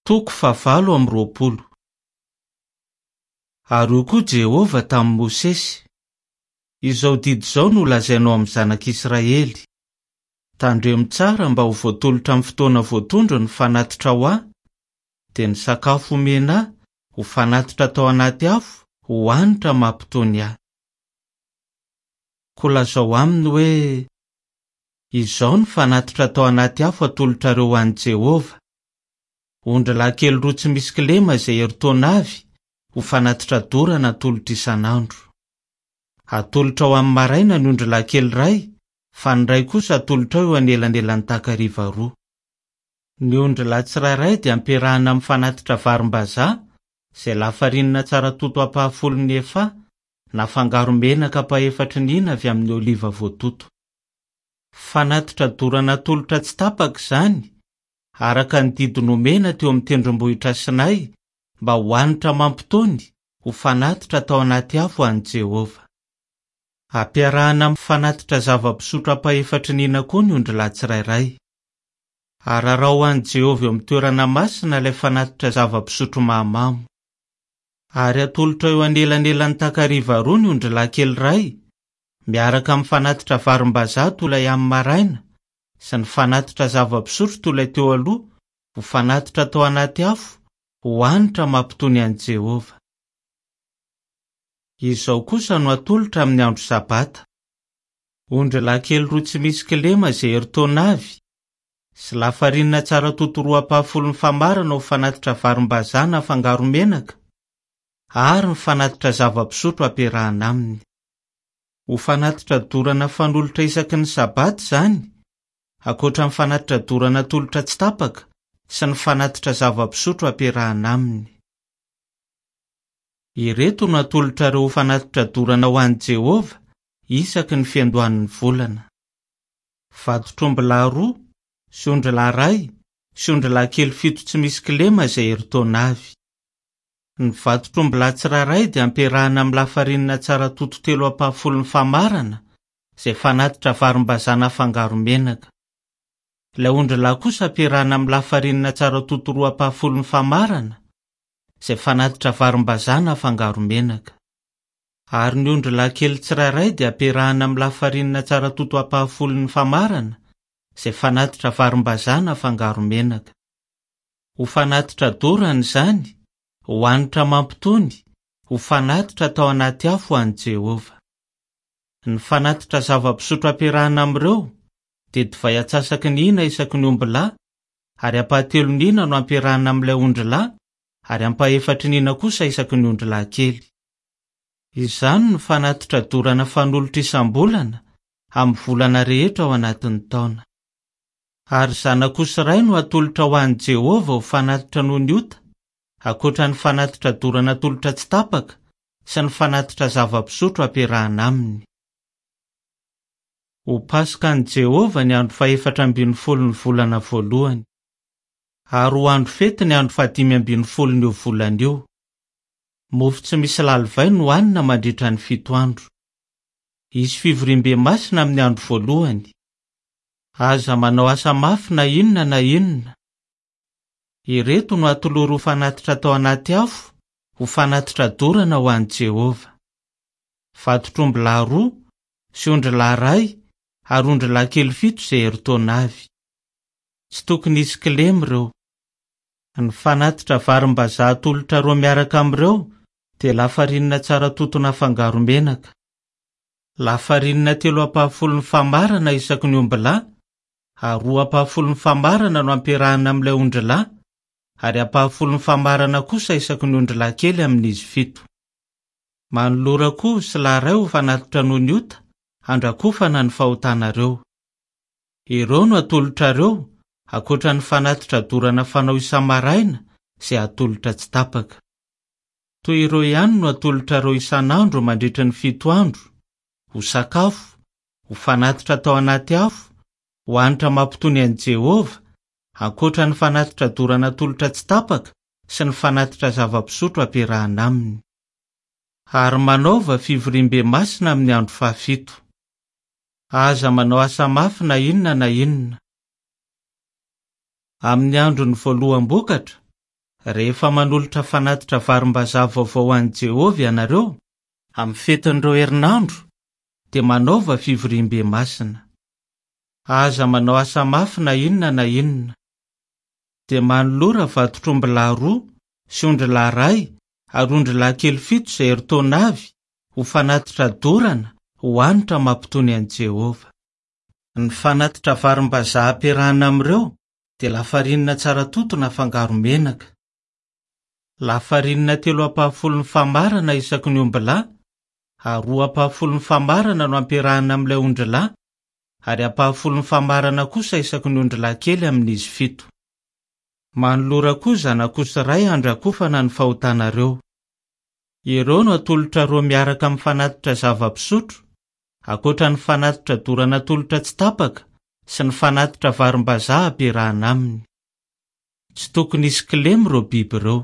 Toko fahavalo amby 20. Ary hoy koa Jehovah tamin'i Mosesy, Izao didy izao no holazainao amin'ny zanak'Israely, Tandremo tsara mba ho voatolotra amin'ny fotoana voatondro ny fanatitra ho ahy, dia ny sakafo omena ahy ho fanatitra atao anaty afo ho hanitra mampitony ahy. Koa lazao aminy hoe, Izao no fanatitra atao anaty afo atolotrareo ho an'i Jehovah, Ondrilahy kely roa tsy misy kilema izay herintaona avy ho fanatitra dorana atolotra isan'andro. Atolotrao amin'ny maraina ny ondrilahy kely iray fa ny iray kosa atolotrao eo anelanelan'ny takariva roa. Ny ondrilahy tsirairay dia ampiarahana amin'ny fanatitra varimbazaha izay lafarinina tsara toto ampahafolon'ny efaha nafangaro menaka ampahefatry ny hina avy amin'ny oliva voatoto. Fanatitra dorana atolotra tsy tapaka izany, araka ny didy nomena teo amin'ny tendrombohitra Sinay mba ho hanitra mampitony ho fanatitra atao anaty afo ho an'i Jehovah. Ampiarahana amin'ny fanatitra zava-pisotro ampahefatry ny hina koa ny ondrilahy tsirairay. Araraho ho an'i Jehovah eo amin'ny toerana masina ilay fanatitra zava-pisotro mahamamo. Ary atolotra eo anelanelan'ny takariva roa ny ondrilahy kely iray, miaraka amin'ny fanatitra varimbazaha toy ilay amin'ny maraina sy ny fanatitra zava-pisotro toy ilay teo aloha ho fanatitra atao anaty afo ho hanitra mampitony an'i Jehovah. Izao kosa no atolotra amin'ny andro Sabata, Ondrilahy kely roa tsy misy kilema izay herintaona avy, sy lafarinina tsara toto roa ampahafolon'ny famarana ho fanatitra varimbazaha nafangaro menaka, ary ny fanatitra zava-pisotro ampiarahana aminy. Ho fanatitra dorana fanolotra isaky ny Sabata izany, ankoatra ny fanatitra dorana atolotra tsy tapaka sy ny fanatitra zava-pisotro ampiarahana aminy. Ireto no atolotrareo ho fanatitra dorana ho an'i Jehovah isaky ny fiandohan'ny volana. Vatotr'ombilahy roa, sy ondrilahy iray, sy ondrilahy kely fito tsy misy kilema izay herintaona avy. Ny vatotr'ombilahy tsirairay dia ampiarahana amin'ny lafarinina tsara toto telo ampahafolon'ny famarana, izay fanatitra varimbazaha nafangaro menaka. Ilay ondrilahy kosa ampiarahana amin'ny lafarinina tsara toto roa ampahafolon'ny famarana, izay fanatitra varimbazaha nafangaro menaka. Ary ny ondrilahy kely tsirairay dia ampiarahana amin'ny lafarinina tsara toto ampahafolon'ny famarana, izay fanatitra varimbazaha nafangaro menaka. Ho fanatitra dorana izany, ho hanitra mampitony, ho fanatitra atao anaty afo ho an'i Jehovah. Ny fanatitra zava-pisotro ampiarahana amin'ireo dia divay antsasaky ny hina isaky ny ombilahy, ary ampahatelon'ny hina no ampiarahana amin'ilay ondrilahy, ary ampahefatry ny hina kosa isaky ny ondrilahy kely. Izany no fanatitra dorana fanolotra isam-bolana amin'ny volana rehetra ao anatin'ny taona. Ary zanak'osy iray no hatolotra ho an'i Jehovah ho fanatitra noho ny ota, ankoatra ny fanatitra dorana atolotra tsy tapaka sy ny fanatitra zava-pisotro ampiarahana aminy. Ho Paskan'i Jehovah ny andro fahefatra ambin'ny folon'ny volana voalohany. Ary ho andro fety ny andro fahadimy ambin'ny folon'io volana io. Mofo tsy misy lalivay no hanina mandritra ny fito andro. Hisy fivoriambe masina amin'ny andro voalohany. Aza manao asa mafy na inona na inona. Ireto no atolory ho fanatitra atao anaty afo, ho fanatitra dorana ho an'i Jehovah. Vatotr'ombilahy roa, sy ondrilahy iray, ary ondrilahy kely fito izay herintaona avy. Tsy tokony hisy kilema ireo. Ny fanatitra varimbazaha atolotrareo miaraka amin'ireo dia lafarinina tsara toto nafangaro menaka. Lafarinina telo ampahafolon'ny famarana isaky ny ombilahy, ary roa ampahafolon'ny famarana no ampiarahana amin'ilay ondrilahy, ary ampahafolon'ny famarana kosa isaky ny ondrilahy kely amin'izy fito. Manolora koa osy lahy iray ho fanatitra noho ny ota, handrakofana ny fahotanareo. Ireo no atolotrareo, ankoatra ny fanatitra dorana fanao isa-maraina izay atolotra tsy tapaka. Toy ireo ihany no atolotrareo isan'andro mandritra ny fito andro, ho sakafo, ho fanatitra atao anaty afo, ho hanitra mampitony an'i Jehovah, ankoatra ny fanatitra dorana atolotra tsy tapaka sy ny fanatitra zava-pisotro ampiarahana aminy. Ary manaova fivoriambe masina amin'ny andro fahafito. Aza manao asa mafy na inona na inona. Amin'ny andron'ny voaloham-bokatra, Rehefa manolotra fanatitra varimbazaha vaovao ho an'i Jehovah ianareo, amin'ny fetin'ireo herinandro, dia manaova fivoriambe masina. Aza manao asa mafy na inona na inona. Dia manolora vatotr'ombilahy roa sy ondrilahy iray ary ondrilahy kely fito izay herintaona avy ho fanatitra dorana ho hanitra mampitony an'i Jehovah. Ny fanatitra varimbazaha ampiarahana amin'ireo dia lafarinina tsara toto nafangaro menaka. Lafarinina telo ampahafolon'ny famarana isaky ny ombilahy ary roa ampahafolon'ny famarana no ampiarahana amin'ilay ondrilahy ary ampahafolon'ny famarana kosa isaky ny ondrilahy kely amin'izy fito. Manolora koa zanak'osy iray handrakofana ny fahotanareo. Ireo no atolotrareo miaraka amin'ny fanatitra zava-pisotro, ankoatra ny fanatitra dorana atolotra tsy tapaka sy ny fanatitra varimbazaha ampiarahana aminy. Tsy tokony hisy kilema ireo biby ireo.